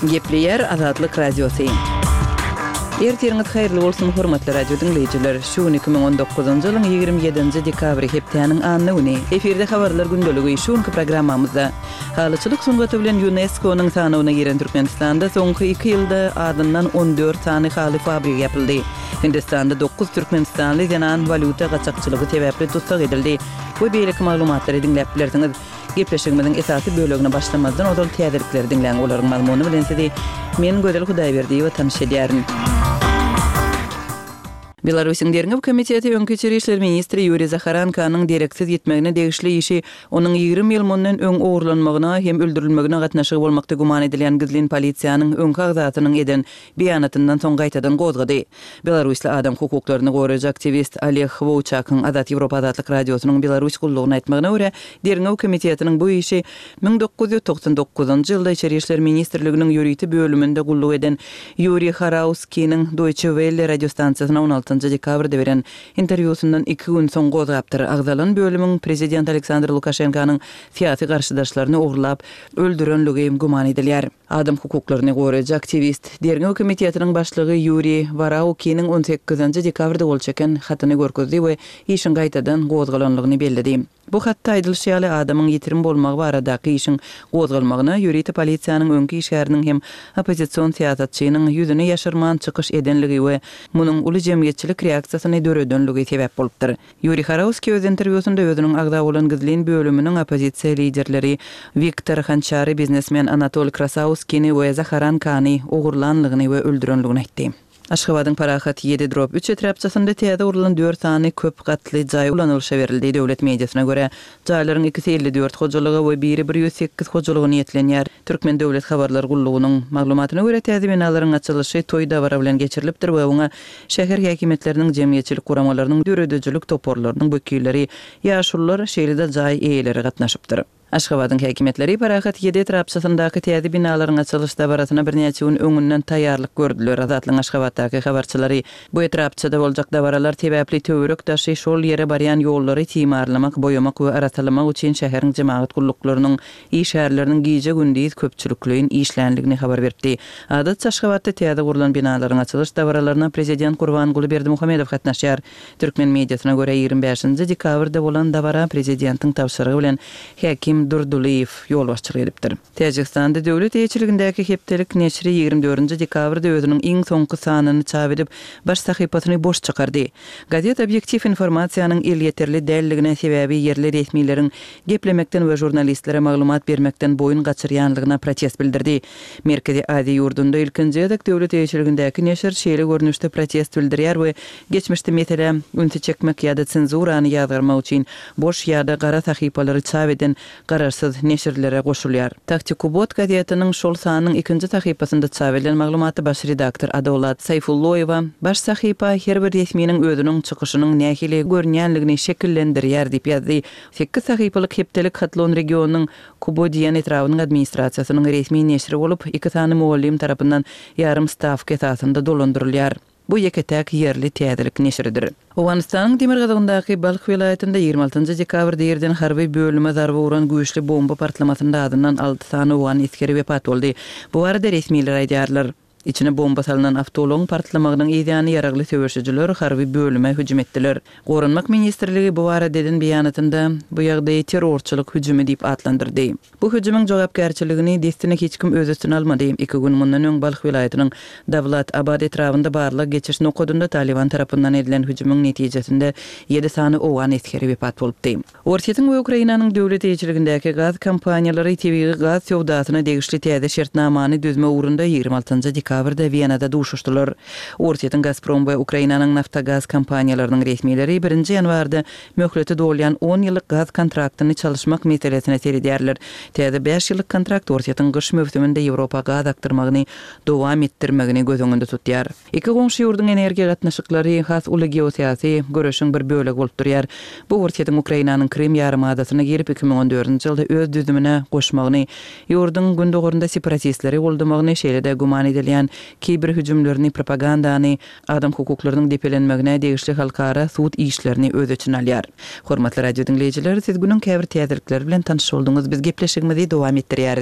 Gepleýär Azatlyk Radiosy. Ertiriňiz haýyrly bolsun, hormatly radio diňleýjiler! Şu gün 2019-njy ýylyň 27-nji dekabry, hepdäniň anna güni. Efirde Habarlar gündeligi. Şu günki programmamyzda Halyçylyk sungaty bilen ÝUNESKO-nyň sanawyna giren Türkmenistanda soňky iki ýylda azyndan 14 sany haly fabrigi ýapyldy. Hindistanda dokuz türkmenistanly zenan walýuta gaçakçylygy sebäpli tussag edildi we beýleki maglumatlary diňläp bilersiňiz. Gepleşigimiziň esasy bölegine başlamazdan ozal täzelikleri diňläň, olaryň mazmuny bilen sizi men Gözel Hudaýberdiýewa tanyş edýärin. Belarusyň Derňew komiteti öňki içeri işler ministri Ýuriý Zaharenkanyň dereksiz ýitmegine degişli işi onuň 20 ýyl mundan öň ogurlanmagyna hem öldürilmegine gatnaşygy bolmakda güman edilýän gizlin polisiýanyň öňki agzasynyň eden beýanatyndan soň gaýtadan gozgady. Belarusly adam hukuklaryny goraýjy aktiwist Oleg Wowçakyň Azat Ýewropa Azatlyk Radiosynyň Belarus gullugyna aýtmagyna görä, Derňew komitetiniň bu işi 1999-njy ýylda Içeri işler ministrliginiň ýörite bölüminde gulluk eden Ýuriý Harauskiniň Deutsche Welle radiostansiýasyna on altynjy dekabrda beren interwýusyndan iki gün soň gozgapdyr. Agzalan bölümiň prezident Aleksandr Lukaşenkanyň syýasy garşydaşlaryny ogurlap öldürenligi güman edilýär. Adam hukuklaryny goraýjy aktiwist, Derňew komitetiniň başlygy Ýuriý Waraukiniň on sekizinji dekabrda gol çeken hatyny görkezdi we işiň gaýtadan gozgalanlygyny belledi. Bu hatda aýdylyşy ýaly, adamyň ýitirim bolmagy baradaky işiň gozgalmagyna ýörite polisiýanyň öňki işgäriniň hem oppozision syýasatçynyň ýüzüni ýaşyrman çykyş edenligi we munuň uly jemgyýetçilik reaksiýasyny döredenligi sebäp bolupdyr. Ýuriý Harauskiý öz interwýusynda özüniň agza bolan gizlin bölüminiň oppozisiýa liderleri Wiktor Hançary, biznesmen Anatol Krasauskini we Zaharan Kany ogurlanlygyny we öldürenligini aýtdy. Aşgabadyň Parahat ýedi drop üç etrapçasynda täze gurlan dört sany köp gatly jaý ulanylyşa berildi. Döwlet mediasyna görä, jaýlaryň ikisi 54 hojalyga we biri 108 hojalyga niýetlenýär. Türkmen döwlet habarlar gullugynyň maglumatyna görä, täze binalaryň açylyşy toý-dabara bilen geçirilipdir we oňa şäher häkimiýetleriniň, jemgyýetçilik guramalarynyň, döredijilik toparlarynyň wekilleri, ýaşulular, şeýle-de jaý eýeleri gatnaşypdyr. Aşgabadyň häkimiýetleri Parahat ýedi etrapçasyndaky täze binalaryň açylyş dabarasyna birnäçe gün öňünden taýýarlyk gördüler. Azatlygyň Aşgabatdaky habarçylary bu etrapçada boljak dabaralar sebäpli töwerek-daşy, şol ýere barýan ýollary timarlamak, boýamak we arassalamak üçin şäheriň jemagat gulluklarynyň işgärleriniň gije-gündiz köpçülikleýin işländigini habar beripdi. Adatça Aşgabatda täze gurlan binalaryň açylyş dabaralaryna prezident Gurbanguly Berdimuhamedow gatnaşýar. Türkmen mediasyna görä, 25-nji dekabrda bolan dabara prezidentiň tabşyrygy bilen häkim Durdylyýew ýolbaşçylyk edipdir. Täjigistanda döwlet eýeçiligindäki hepdelik neşiri 24-nji dekabrda özüniň iň soňky sanyny çap edip, baş sahypasyny boş çykardy. Gazet obýektiw informasiýanyň elýeterli däldigine, sebäbi ýerli resmileriň geplemekden we žurnalistlere maglumat bermekden boýun gaçyrýanlygyna protest bildirdi. Merkezi Aziýa ýurdunda ilkinji gezek döwlet eýeçiligindäki neşir şeýle görnüşde protest bildirýär we geçmişde meselä ünsi çekmek ýa-da senzurany ýazgarmak üçin boş ýa-da gara sahypalary çap eden garaşsyz neşirlere goşulýar. Taktikubot gazetiniň şol sanynyň ikinji sahypasynda çap edilen maglumatda baş redaktor Adolat Saýfulloýewa, Baş sahypa her bir resminiň özüniň çykyşynyň nähili görünýänligini şekillendirýär diýip ýazdy. Sekiz sahypalyk hepdelik Hatlon regionynyň Kubodiýan etrabynyň administrasiýasynyň resmi neşiri bolup, iki sany mugallym tarapyndan ýarym stawka esasynda dolandyrylýar. Bu ýeke-täk ýerli täzelik neşiridir. Owganystanyň demirgazygyndaky Balh welaýatynda 26 njy dekabrda irden harby bölüme zarba uran güýçli bomba partlamasynda azyndan alty sany owgan esgeri wepat boldy. Bu barada resmiler aýdýarlar. Içine bomba salnan awtoulagyň partlamagynyň yzýany ýaragly söweşijiler harby bölüme hüjüm etdiler. Goranmak ministrligi bu barada eden beýanatynda bu ýagdaýy terrorçylyk hüjümi diýip atlandyrdy. Bu hüjümiň jogapkärçiligini dessine hiç kim öz üstüne almady. Iki gün mundan öň Balh welaýatynyň Dawlat Abad etrabynda barlag geçiş nokadynda Talyban tarapyndan edilen hüjümiň netijesinde ýedi sany owgan esgeri wepat bolupdy. Orsýetiň we Ukrainanyň döwlet eýeçiligindäki gaz kompaniýalary tebigy gaz söwdasyna degişli täze şertnamany düzmek ugrunda 26 dekabrda Wenada duşuşdylar. Orsýetiň Gazprom we Ukrainanyň Naftogaz kompaniýalarynyň resmileri birinji ýanwarda möhleti dolýan on ýyllyk gaz kontraktyny çalyşmak meselesine seredýärler. Täze bäş ýyllyk kontrakt Orsýetiň gyş möwsüminde Ýewropa gaz akdyrmagyny dowam etdirmegini göz öňünde tutýar. Iki goňşy ýurduň energiýa gatnaşyklary has uly geosyýasy göreşiň bir bölegi bolup durýar. Bu Orsýetiň Ukrainanyň Krym ýarymadasyna girip, 2014-nji ýylda öz düzümine goşmagyny, ýurduň gündogarynda separatistleri goldamagyny, şeýle-de güman edilýän kiber hüjümlerini, propagandany, adam hukuklarynyň depelenmegine degişli halkara sud işlerini öz içine alýar. Hormatly radio diňleýjiler, siz günüň käbir täzelikleri bilen tanyş bolduňyz. Biz gepleşigimizi dowam etdirýäris.